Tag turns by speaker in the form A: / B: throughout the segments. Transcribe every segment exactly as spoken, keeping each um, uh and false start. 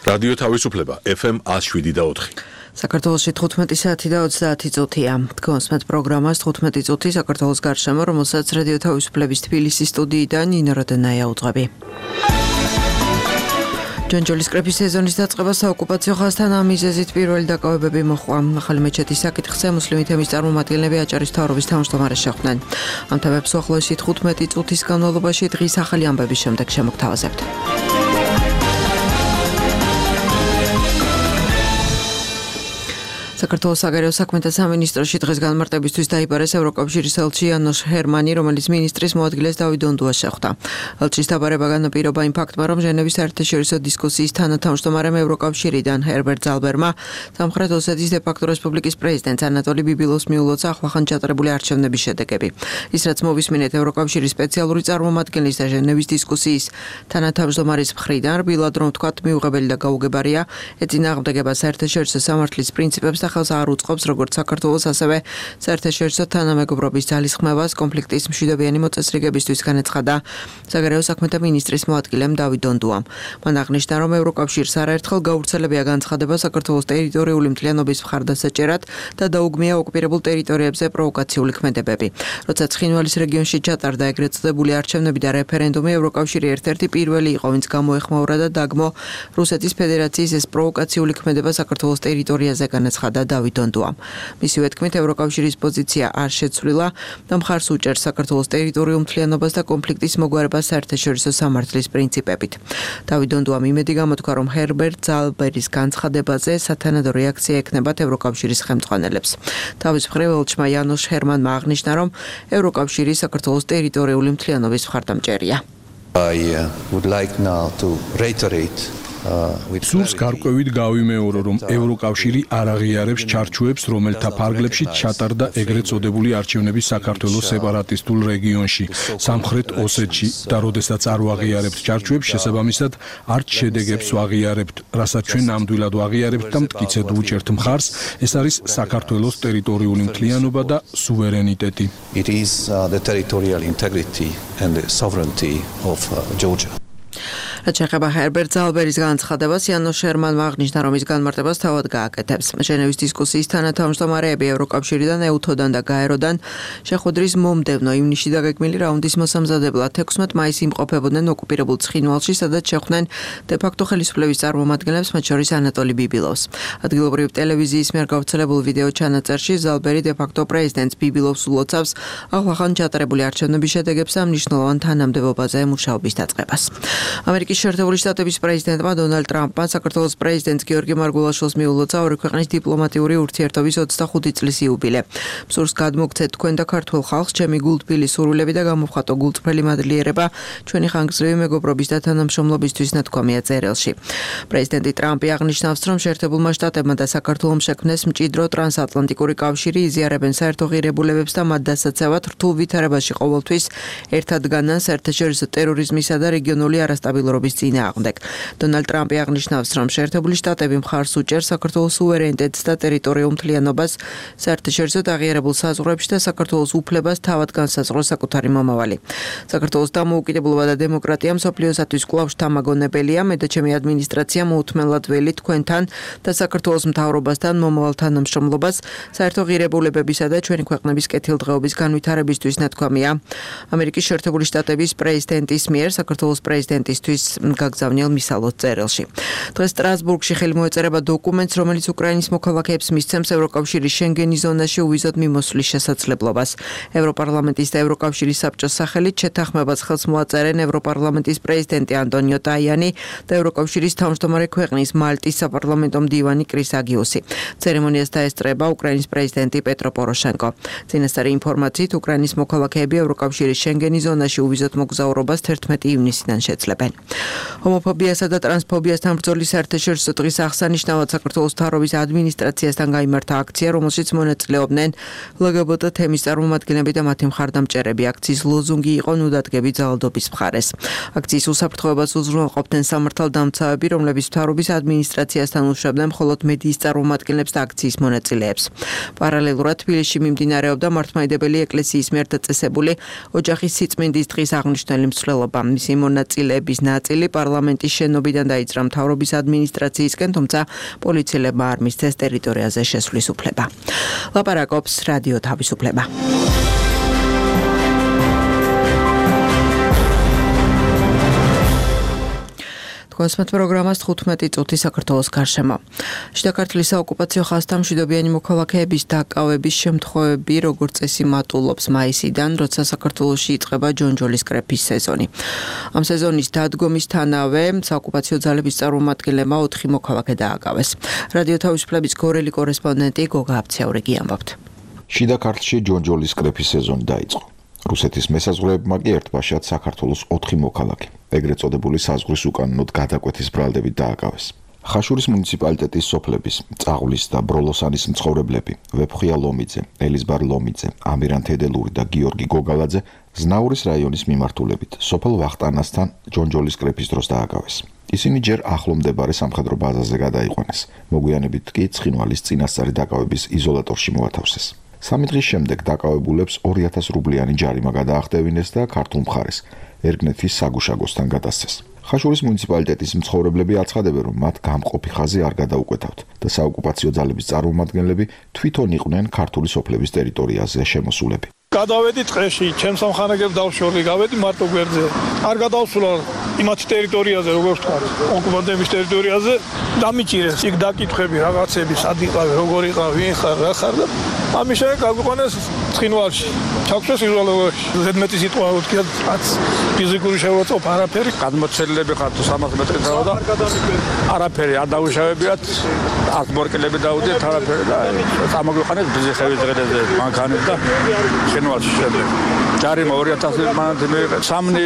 A: რადიო თავისუფლება ეფ ემ one oh seven და four.
B: საქართველოში თხუთმეტი საათი და ოცდაათი წუთია. Თქვენსმეთ პროგრამას თხუთმეტი წუთი საქართველოს გარშემო, რომელსაც რადიო თავისუფლების თბილისის სტუდიიდან ნინო როდენაია უძღვები. ჯანჯოლის კრების სეზონის დაწყება საოკუპაციო ხაზთან ამ მიზეზით პირველი დაკავებები მოჰყვა. ახალი მეჩეთის საკითხზე მუსლიმი თემის წარმომადგენლები აჭარის მთავრობის თავმჯდომარეს შეხვდნენ. ამ თემებს უახლოესი თხუთმეტი წუთის განმავლობაში დღის ახალი ამბების შემდეგ შემოგთავაზებთ. საქართველოს საგარეო საქმეთა სამინისტროში დღეს განმარტებისთვის დაიბარეს ევროკავშირის ელჩი იანოშ ჰერმანი, რომელიც მინისტრის მოადგილეს დავით დონდუას შეხვდა. ელჩის დაბარება განაპირობა იმ ფაქტმა, რომ ჟენევის საერთაშორისო დისკუსიის თანათავმჯდომარემ ევროკავშირიდან ჰერბერტ ზალბერმა სამხრეთ ოსეთის დე-ფაქტო რესპუბლიკის პრეზიდენტს ანატოლი ბიბილოვს მიულოცა ახლახან ჩატარებული არჩევნების შედეგები. ის რაც მოვისმინეთ ევროკავშირის სპეციალური წარმომადგენლის და ჟენევის დისკუსიის თანათავმჯდომარის მხრიდან, რბილად რომ ვთქვათ, მიუღებელი და გაუგებარია, ეწინააღმდეგება საერთაშორისო სამართლის პრინციპებს ხელს არ უწყობს როგორც საქართველოს, ასევე საერთაშორისო თანამეგობრობის ძალისხმევას კონფლიქტის მშვიდობიანი მოწესრიგებისთვის განაცხადა საგარეო საქმეთა მინისტრის მოადგილემ დავით დონდუამ. მან აღნიშნა, რომ ევროკავშირს არაერთხელ გავრცელებია განცხადება საქართველოს ტერიტორიული მთლიანობის მხარდასაჭერად და დაუგმია ოკუპირებულ ტერიტორიებზე პროვოკაციული ქმედებები. როცა ცხინვალის რეგიონში ჩატარდა ეგრეთ წოდებული არჩევნები და რეფერენდუმი, ევროკავშირი ერთ-ერთი პირველი იყო, ვინც გამოეხმაურა და დაგმო რუსეთის ფედერაციის ეს პროვოკაციული ქმედება საქართველოს ტერიტორიაზე განაცხადა დავით დონდუამ. მისივე თქმით, ევროკავშირის პოზიცია არ შეცვლილა და მხარს უჭერს საქართველოს ტერიტორიულ მთლიანობას და კონფლიქტის მოგვარებას საერთაშორისო სამართლის პრინციპებით. დავით დონდუამ იმედი გამოთქვა, რომ ჰერბერტ ზალბერის განცხადებაზე სათანადო რეაქცია ექნებათ ევროკავშირის ხელმძღვანელებს. თავის მხრივ ელჩმა იანოშ ჰერმანმა აღნიშნა, რომ ევროკავშირი საქართველოს ტერიტორიული მთლიანობის მხარდამჭერია.
C: I uh, would like now to reiterate
D: სულს გარკვევით გავიმეორო, რომ ევროკავშირი არ აღიარებს ჩარჩოებს, რომელთა ფარგლებში ჩატარდა ეგრეთ წოდებული არჩევნები საქართველოს სეპარატისტულ რეგიონში, სამხრეთ ოსეთში და როდესაც არ ვაღიარებთ ჩარჩოებს, შესაბამისად არც შედეგებს ვაღიარებთ, რასაც ჩვენ ნამდვილად ვაღიარებთ და მტკიცედ ვუჭერთ მხარს, ეს არის საქართველოს ტერიტორიული მთლიანობა და სუვერენიტეტი.
C: It is uh, the territorial integrity and the sovereignty of uh, Georgia.
B: რაც შეეხება ჰერბერტ ზალბერის განცხადებას, იანოშ ჰერმანმა აღნიშნა, რომ ის განმარტებას თავად გააკეთებს. ჟენევის დისკუსიის თანათავმჯდომარეები ევროკავშირიდან, ეუთოდან და გაეროდან შეხვედრის მომდევნო ივნისში დაგეგმილი რაუნდის მოსამზადებლად ექვსმეტ მაისს იმყოფებოდნენ ოკუპირებულ ცხინვალში, სადაც შეხვდნენ დე-ფაქტო ხელისუფლების წარმომადგენლებს, მათ შორის ანატოლი ბიბილოვს. ადგილობრივი ტელევიზიის მიერ გავრცელებულ ვიდეო ჩანაწერში ზალბერი დე-ფაქტო პრეზიდენტს ბიბილოვს ულოცავს ახლახან ჩატარებული არჩევნების შედეგებს და მნიშვნელოვან თანამდებობაზე მუშაობის დაწყებას. ამერიკის შეერთებული შტატების პრეზიდენტმა დონალდ ტრამპმა საქართველოს პრეზიდენტს გიორგი მარგულაშვილს მიულოცა ორი ქვეყნის დიპლომატიური ურთიერთობის ოცდახუთი წლის იუბილე. მსურს გადმოგცეთ თქვენ და ქართულ ხალხს, ჩემი გულთბილი სურვილები და გამოვხატო გულწრფელი მადლიერება ჩვენი ხანგრძლივი მეგობრობის და თანამშრომლობისთვის ნათქვამია წერილში. პრეზიდენტი ტრამპი აღნიშნავს, რომ შეერთებულმა შტატებმა და საქართველომ შექმნეს მჭიდრო ტრანსატლანტიკური კავშირი, იზიარებენ საერთო ღირებულებებს და მათ დასაცავად რთულ ვითარებაში ყოველთვის ერთად განან საერთაშორისო ტერორიზმისა და რეგიონული არასტაბილურობის წინააღმდეგ. დონალდ ტრამპი აღნიშნავს, რომ შეერთებული შტატები მხარს უჭერს საქართველოს სუვერენიტეტს და ტერიტორიულ მთლიანობას საერთაშორისო აღიარებულ საზღვრებში და საქართველოს უფლებას თავად განსაზღვროს საკუთარი მომავალი. საქართველოს დამოუკიდებლობა და დემოკრატია მსოფლიოსათვის კვლავ შთამაგონებელია. მე და ჩემი ადმინისტრაცია მოუთმენლად ველი თქვენთან და საქართველოს მთავრობასთან მომავალ თანამშრომლობას საერთო ღირებულებებისა და ჩვენი ქვეყნების კეთილდღეობის განვითარებისთვის ნათქვამია ამერიკის შეერთებული შტატების პრეზიდენტის მიერ საქართველოს პრეზიდენტისთვის გაგზავნილ მისალოს წერილში. დღეს სტრასბურგში ხელი მოეწერება დოკუმენტს, რომელიც უკრაინის მოქალაქეებს მისცემს ევროკავშირის შენგენის ზონაში უვიზოდ მიმოსვლის შესაძლებლობას. ევროპარლამენტის და ევროკავშირის საბჭოს სახელით შეთანხმებას ხელს მოაწერენ ევროპარლამენტის პრეზიდენტი ანტონიო ტაიანი და ევროკავშირის თავმჯდომარე ქვეყნის მალტის საპარლამენტო მდივანი კრის აგიუსი. ცერემონიას დაესწრება უკრაინის პრეზიდენტი პეტრო პოროშენკო. წინასწარი ინფორმაციით, უკრაინის მოქალაქეები ევროკავშირის შენგენის ზონაში უვიზოდ მოგზაურობას თერთმეტი ივნისიდან შეძლებენ. ჰომოფობიასა და ტრანსფობიასთან ბრძოლის საერთაშორისო დღის აღსანიშნავად საქართველოს მთავრობის ადმინისტრაციასთან გაიმართა აქცია, რომელშიც მონაწილეობდნენ ლგბტ თემის წარმომადგენლები და მათი მხარდამჭერები. აქციის ლოზუნგი იყო ნუ დადგები ძალადობის მხარეს. აქციის უსაფრთხოებას უზრუნველყოფდნენ სამართალდამცავები, რომლებიც მთავრობის ადმინისტრაციასთან უშვებდნენ მხოლოდ მედიის წარმომადგენლებს და აქციის მონაწილეებს. პარალელურად თბილისში მიმდინარეობდა მართლმადიდებელი ეკლესიის მიერ დაწესებული ოჯახის სიწმინდის დღის აღნიშნული მსვლელობა. მისი მონაწილეების ნაწილი პარლამენტის შენობიდან დაიძრა მთავრობის ადმინისტრაციისკენ, თუმცა პოლიციელებმა არ მისცეს ტერიტორიაზე შესვლის უფლება. ლაპარაკობს რადიო თავისუფლება. კონსმეთ პროგრამას თხუთმეტი წუთი საქართველოს გარშემო. შიდა ქართლის საოკუპაციო ხაზთა მშვიდობიანი მოქალაქეების დაკავების შემთხვევები როგორც წესი მატულობს მაისიდან, როცა საქართველოში იწყება ჯონჯოლის კრეფის სეზონი. ამ სეზონის დადგომისთანავე საოკუპაციო ძალების წარმომადგენლებმა ოთხი მოქალაქე დააკავეს. რადიო თავისუფლების გორელი კორესპონდენტი გოგა აბცაურიგი ამბობთ.
E: შიდა ქართლში ჯონჯოლის კრეფის სეზონი დაიწყო. რუსეთის მესაზღვრეებმა კი ერთბაშად საქართველოს ოთხი მოქალაქე, ეგრეთ წოდებული საზღვრის უკანონოდ გადაკვეთის ბრალდებით დააკავეს. ხაშურის მუნიციპალიტეტის სოფლების წაღვლის და ბროლოსანის მცხოვრებლები ვეფხვია ლომიძე, ელიზბარ ლომიძე, ამირან თედელური და გიორგი გოგალაძე ზნაურის რაიონის მიმართულებით სოფელ ვახტანასთან ჯონჯოლის კრეფის დროს დააკავეს. ისინი ჯერ ახლო მდებარე სამხედრო ბაზაზე გადაიყვანეს, მოგვიანებით კი ცხინვალის წინასწარი დაკავების იზოლატორში მოათავსეს. სამი დღის შემდეგ დაკავებულებს ორი ათას რუბლიანი ჯარიმა გადაახტევინეს და ქართულ მხარეს ერგნეთის საგუშაგოსთან გადასცეს. ხაშურის მუნიციპალიტეტის მცხოვრებლები აცხადებენ, რომ მათ გამყოფი ხაზი არ გადაუკეთავთ და საოკუპაციო ძალების წარმომადგენლები თვითონ იყვნენ ქართული სოფლების ტერიტორიაზე შემოსულები.
F: გადავედი ტყეში, ჩემს სამხანაგებს დავშორდი, გავედი მარტო გვერდზე. არ გადავსულა იმათ ტერიტორიაზე, როგორც ვთქვა, ოკუპანტების ტერიტორიაზე, დამიჭირეს იქ დაკითხვები, რაღაცები, სად იყავი, როგორ იყავი, ვინ ხარ, რა ხარ და ამის შემდეგ გაგვიყვანეს ცხინვალში. ჩაგვწეს იზოლატორში. ზედმეტი სიტყვა ვთქვა, რაც ფიზიკური შეურაცხყოფა არაფერი.
G: გადმოცემლები ხართ სამას მეტრით და არაფერი არ დაუშავებიათ, ათ მორკილები დაუდიათ არაფერი და წამოგვიყვანეს ბიზიხევის დღეზე მანქანით და ცხინვალში შემდეგ. ჯარიმა ორი ათასი მანათი მიიღეს. სამნი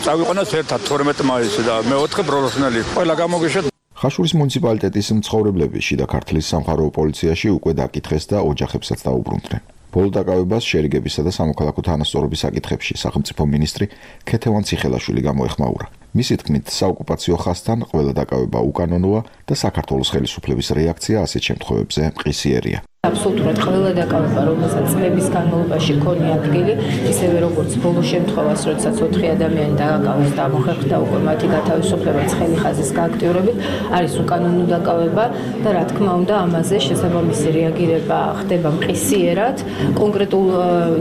G: წავიყვანეს ერთად თორმეტი მაისი და მეოთხე ბროლოსნელი. ყველა გამოგიშეთ.
E: ხაშურის მუნიციპალიტეტის მცხოვრებლები შიდა ქართლის სამხარეო პოლიციაში უკვე დაკითხეს და ოჯახებსაც დაუბრუნდნენ. ბოლო დაკავებას შერიგებისა და სამოქალაქო თანასწორობის საკითხებში სახელმწიფო მინისტრი ქეთევან ციხელაშვილი გამოეხმაურა. მისი თქმით, საოკუპაციო ხაზთან ყველა დაკავება უკანონოა და საქართველოს ხელისუფლების რეაქცია ასეთ შემთხვევებზე მყისიერია.
H: აბსოლუტურად ყველა დაკავება, რომელსაც წლების განმავლობაში ქონია ადგილი, ისევე როგორც ბოლო შემთხვევას, როდესაც ოთხი ადამიანი დააკავეს და მოხერხდა უკვე მათი გათავისუფლება ცხელი ხაზის გააქტიურებით, არის უკანონო დაკავება და რა თქმა უნდა, ამაზე შესაბამისი რეაგირება ხდება მყისიერად. კონკრეტულ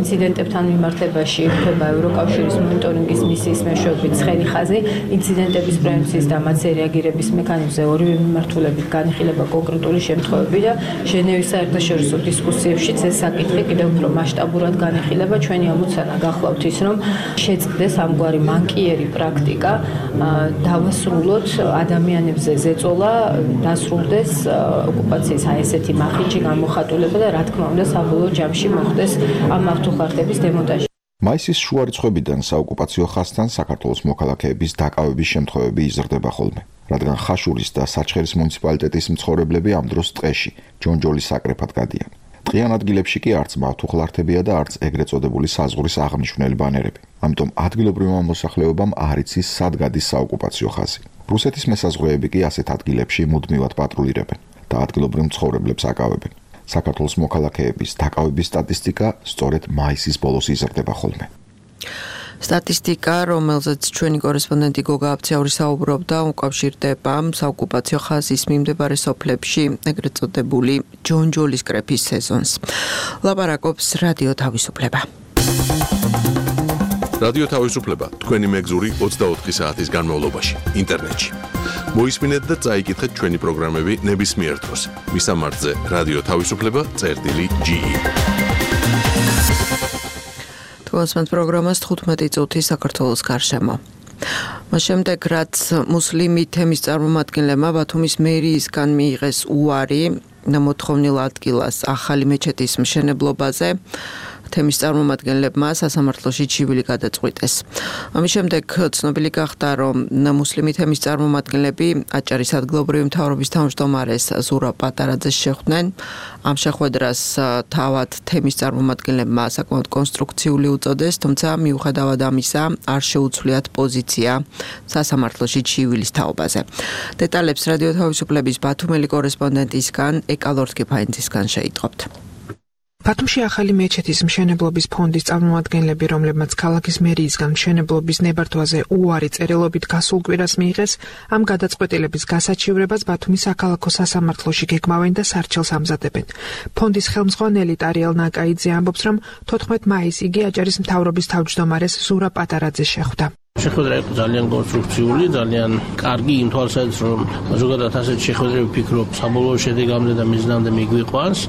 H: ინციდენტებთან მიმართებაში ხდება ევროკავშირის მონიტორინგის მისიის მეშვეობით ცხელი ხაზი, ინციდენტების პრევენციის და მათზე რეაგირების მექანიზმზე ორივე მიმართულებით განიხილება კონკრეტული შემთხვევები და ჟენევის საერთაშორისო დისკუსიებშიც ეს საკითხი კიდევ უფრო მასშტაბურად განიხილება. ჩვენი ამოცანა გახლავთ ის, რომ შეწყდეს ამგვარი მანკიერი პრაქტიკა, დავასრულოთ ადამიანებზე ზეწოლა, დასრულდეს ოკუპაციის აი ესეთი მახინჯი გამოხატულება და რა თქმა უნდა საბოლოო ჯამში მოხდეს ამ ავტოხარტების დემონტაჟი.
E: მაისის შუა რიცხვებიდან საოკუპაციო ხაზთან საქართველოს მოქალაქეების დაკავების შემთხვევები იზრდება ხოლმე, რადგან ხაშურის და საჩხერის მუნიციპალიტეტის მცხოვრებლები ამ დროს ტყეში, ჯონჯოლის საკრეფად გადიან. ტყიან ადგილებში კი არც მავთუხლართებია და არც ეგრეთ წოდებული საზღვრის აღნიშნული ბანერები. ამიტომ ადგილობრივმა მოსახლეობამ არ იცის სად გადის საოკუპაციო ხაზი. რუსეთის მესაზღვრეები კი ასეთ ადგილებში მუდმივად პატრულირებენ და ადგილობრივ მცხოვრებლებს აკავებენ. საქართველოს მოქალაქეების დაკავების სტატისტიკა სწორედ მაისის ბოლოს იზრდება ხოლმე.
B: სტატისტიკა, რომელზეც ჩვენი კორესპონდენტი გოგა აბცაური საუბრობდა, უკავშირდება საოკუპაციო ხაზის მიმდებარე სოფლებში ეგრეთ წოდებული ჯონჯოლის კრეფის სეზონს. ლაპარაკობს რადიო თავისუფლება.
A: რადიო თავისუფლება თქვენი მეგზური ოცდაოთხი საათის განმავლობაში ინტერნეტში. მოისმინეთ და წაიკითხეთ ჩვენი პროგრამები ნებისმიერ დროს. მისამართზე რადიო თავისუფლება წერტილი ჯი.
B: თქვენს პროგრამას თხუთმეტი წუთი საქართველოს გარშემო. მას შემდეგ, რაც მუსლიმი თემის წარმომადგენლებმა ბათუმის მერიისგან მიიღეს უარი მოთხოვნილ ადგილას ახალი მეჩეთის მშენებლობაზე, თემის წარმომადგენლებმა სასამართლოში ჩივილი გადაწყვიტეს. ამის შემდეგ ცნობილი გახდა, რომ მუსლიმი თემის წარმომადგენლები აჭარის ადგილობრივი მთავრობის თავმჯდომარეს ზურაბ პატარაძეს შეხვდნენ. ამ შეხვედრას თავად თემის წარმომადგენლებმა საკმაოდ კონსტრუქციული უწოდეს, თუმცა მიუხედავად ამისა არ შეუცვლიათ პოზიცია სასამართლოში ჩივილის თაობაზე. დეტალებს რადიო თავისუფლების ბათუმელი კორესპონდენტისგან ეკალორდ კიფაინძისგან შეიტყობთ.
I: ბათუმში ახალი მეჩეთის მშენებლობის ფონდის წარმომადგენლები, რომლებმაც ქალაქის მერიისგან მშენებლობის ნებართვაზე უარი წერილობით გასულ კვირას მიიღეს, ამ გადაწყვეტილების გასაჩივრებას ბათუმის საქალაქო სასამართლოში გეგმავენ და სარჩელს ამზადებენ. ფონდის ხელმძღვანელი ტარიელ ნაკაიძე ამბობს, რომ თოთხმეტ მაისს იგი აჭარის მთავრობის თავმჯდომარეს ზურაბ პატარაძეს შეხვდა.
J: შეხვედრა იყო ძალიან კონსტრუქციული, ძალიან კარგი იმ თვალსაზრისით, რომ ზოგადად ასეთ შეხვედრები ვფიქრობ, საბოლოო შედეგამდე და მიზნამდე მიგვიყვანს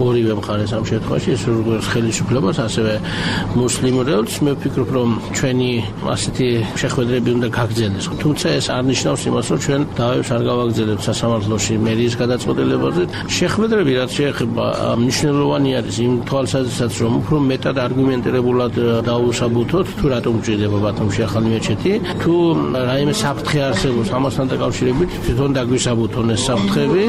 J: ორივე მხარეს ამ შემთხვევაში, ეს როგორც ხელისუფლებას, ასევე მუსლიმ რეალს. მე ვფიქრობ, რომ ჩვენი ასეთი შეხვედრები უნდა გაგრძელდეს. თუმცა ეს არ ნიშნავს იმას, რომ ჩვენ დავებს არ გავაგრძელებთ სასამართლოში მერიის გადაწყვეტილებაზე. შეხვედრები, რაც შეეხება, მნიშვნელოვანი არის იმ თვალსაზრისით, რომ უფრო მეტად არგუმენტირებულად დაუსაბუთოთ, თუ რატომ გვჭირდება ბათუმში ახალი თუ რაიმე საფრთხე არსებობს ამასთან დაკავშირებით თვითონ დაგვისაბუთონ ეს საფრთხები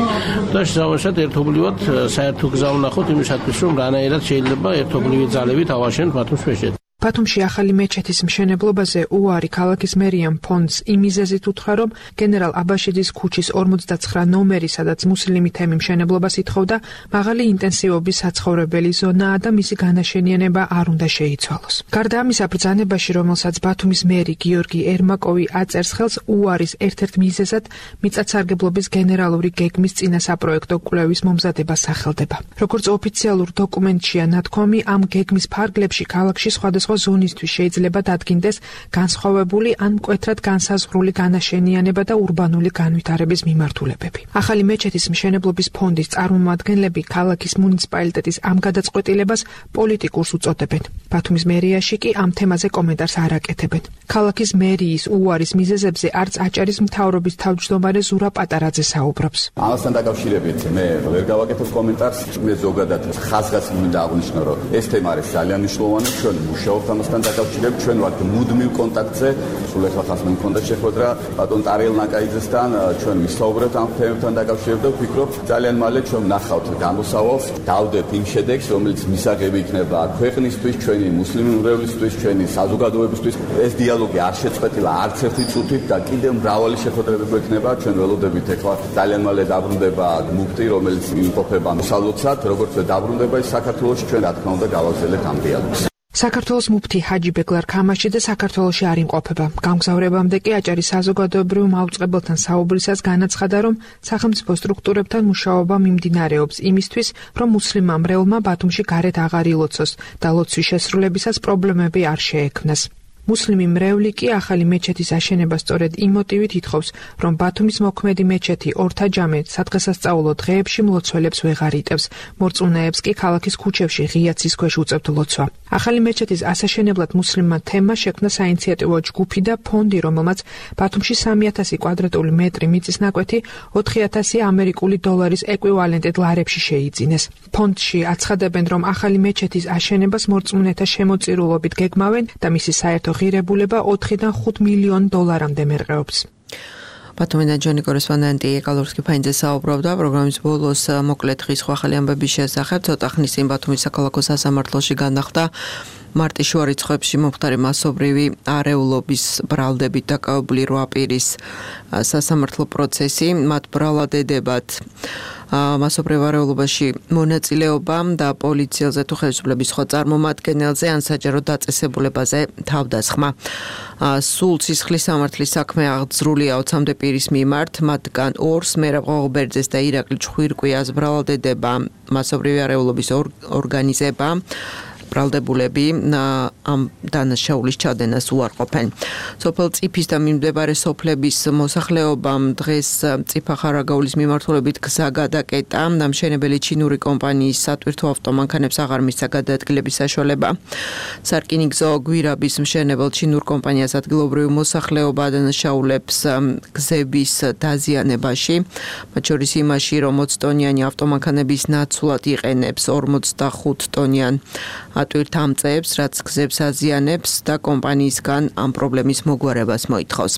J: და შესაბამისად ერთობლივად საერთო გზა ვნახოთ იმისათვის რომ რანაირად შეიძლება ერთობლივი ძალებით ავაშენოთ ბათუმს მეჩეთს.
I: ბათუმში ახალი მეჩეთის მშენებლობაზე უარი ქალაქის მერიამ ფონდს იმ მიზეზით უთხრა, რომ გენერალ აბაშიძის ქუჩის ორმოცდაცხრა ნომერი, სადაც მუსლიმი თემი მშენებლობას ითხოვდა, მაღალი ინტენსივობის საცხოვრებელი ზონაა და მისი განაშენიანება არ უნდა შეიცვალოს. გარდა ამისა, ბრძანებაში, რომელსაც ბათუმის მერი გიორგი ერმაკოვი აწერს ხელს, უარის ერთ-ერთ მიზეზად მიწათსარგებლობის გენერალური გეგმის წინა საპროექტო კვლევის მომზადება სახელდება. როგორც ოფიციალურ დოკუმენტშია ნათქვამი, ამ გეგმის ფარგლებში ქალაქში სხვადასხვა ზონისთვის შეიძლება დადგინდეს განსხვავებული ან მკვეთრად განსაზღვრული განაშენიანება და ურბანული განვითარების მიმართულებები. ახალი მეჩეთის მშენებლობის ფონდის წარმომადგენლები ქალაქის მუნიციპალიტეტის ამ გადაწყვეტილებას პოლიტიკურს უწოდებენ. ბათუმის მერიაში კი ამ თემაზე კომენტარს არ აკეთებენ. ქალაქის მერიის უარის მიზეზებზე არც აჭარის მთავრობის თავმჯდომარე ზურაბ პატარაძე საუბრობს.
K: ამასთან დაკავშირებით მე ვერ გავაკეთებ კომენტარს, მე ზოგადად ხაზგას მინდა აღვნიშნო, რომ ეს თემა არის ძალიან მნიშვნელოვანი, ჩვენ მუშაობთ ამასთან დაკავშირებით, ჩვენ ვართ მუდმივ კონტაქტზე. სულ ახლა ხას მე მქონდა შეხვედრა ბატონ ტარიელ ნაკაიძესთან, ჩვენ ვისაუბრებთ ამ თემებთან დაკავშირებით და ვფიქრობ, ძალიან მალე ჩვენ ვნახავთ გამოსავალს, დავდებ იმ შედეგს, რომელიც მისაღები იქნება ქვეყნისთვის, ჩვენი მუსლიმი უმრავლესობის, ჩვენი საზოგადოებისთვის. ეს დიალოგი არ შეწყვეტილა არც ერთი წუთით და კიდევ მრავალი შეხვედრები გვექნება. ჩვენ ველოდებით ახლა ძალიან მალე დაბრუნდება მუფტი, რომელიც იმყოფება მსალოცად, როგორც დაბრუნდება ის საქართველოში, ჩვენ რა თქმა უნდა გავაგზავნებთ ამ დიალოგს.
I: საქართველოს მუფტი ჰაჯი ბეგლარ ქამაში და საქართველოში არ იმყოფება. გამგზავრებამდე კი აჭარის საზოგადოებრივ მაუწყებელთან საუბრისას განაცხადა, რომ სახელმწიფო სტრუქტურებთან მუშაობა მიმდინარეობს იმისთვის, რომ მუსლიმმა მრევლმა ბათუმში გარეთ აღარ ილოცოს და ლოცვის შესრულებისას პრობლემები არ შეექმნას. მუსლიმი მრევლი კი ახალი მეჩეთის აშენებას სწორედ იმ მოტივით ითხოვს, რომ ბათუმის მოქმედი მეჩეთი ორთაჯამე სადღესასწაულო დღეებში მლოცველებს ვეღარ იტევს, მორწმუნეებს კი ქალაქის ქუჩებში ღია ცის ქვეშ უწევთ ლოცვა. ახალი მეჩეთის ასაშენებლად მუსლიმმა თემმა შექმნა საინიციატივო ჯგუფი და ფონდი, რომელმაც ბათუმში სამი ათასი კვადრატული მეტრი მიწის ნაკვეთი ოთხი ათასი ამერიკული დოლარის ეკვივალენტად ლარებში შეიძინეს. ფონდში აცხადებენ, რომ ახალი მეჩეთის აშენებას მორწმუნეთა შემოწირულობით გეგმავენ და მისი საერთო ღირებულება ოთხიდან ხუთ მილიონ დოლარამდე მერყეობს.
B: ბათუმიდან ჯონი კორესპონდენტი ეკალურსკი ფაინძე საუბრობდა პროგრამის ბოლოს მოკლედ ხის ახალი ამბების შესახებ. ცოტა ხნის წინ ბათუმის საქალაქო სასამართლოში განახლდა მარტის შუა რიცხვებში მომხდარი მასობრივი არეულობის ბრალდებით დაკავებული რვა პირის სასამართლო პროცესი. მათ ბრალადებად მასობრივ არეულობაში მონაწილეობა და პოლიციელზე თუ ხელისუფლების სხვა წარმომადგენელზე ან საჯარო დაწესებულებაზე თავდასხმა. სულ სისხლის სამართლის საქმე აღძრულია ოცამდე პირის მიმართ, მათგან ორს მერაბ ღოღბერძეს და ირაკლი ჩხვირკვიას ბრალადება მასობრივი არეულობის ორგანიზება. ბრალდებულები ამ დანაშაულის ჩადენას უარყოფენ. სოფელ წიფის და მიმდებარე სოფლების მოსახლეობამ დღეს წიფა ხარაგაულის მიმართულებით გზა გადაკეტა. დამშენებელი ჩინური კომპანიის სატვირთო ავტომანქანებს აღარ მისცა გადაადგილების საშუალება. სარკინიგზო გვირაბის მშენებელ ჩინურ კომპანიას ადგილობრივი მოსახლეობა ადანაშაულებს გზების დაზიანებაში, მათ შორის იმაში, რომ ოცი ტონიანი ავტომანქანების ნაცვლად იყენებს ორმოცდახუთ ტონიან პატვირთ ამწეებს, რაც გზებს აზიანებს და კომპანიისგან ამ პრობლემის მოგვარებას მოითხოვს.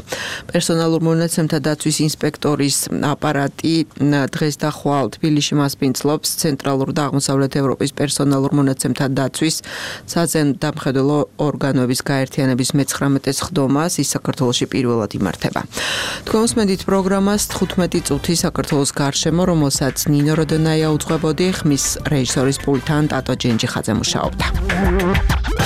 B: პერსონალურ მონაცემთა დაცვის ინსპექტორის აპარატი დღეს და ხვალ თბილისში მასპინძლობს ცენტრალურ და აღმოსავლეთ ევროპის პერსონალურ მონაცემთა დაცვის საზემდამხედველო ორგანოების გაერთიანების მეცხრამეტე სხდომას, ის საქართველოში პირველად იმართება. თქვენ უსმენთ პროგრამას თხუთმეტი წუთი საქართველოს გარშემო, რომელსაც ნინო როდონაია უძღვებოდი, ხმის რეჟისორის პულტთან ტატო ჯენჯიხაძე მუშაობდა.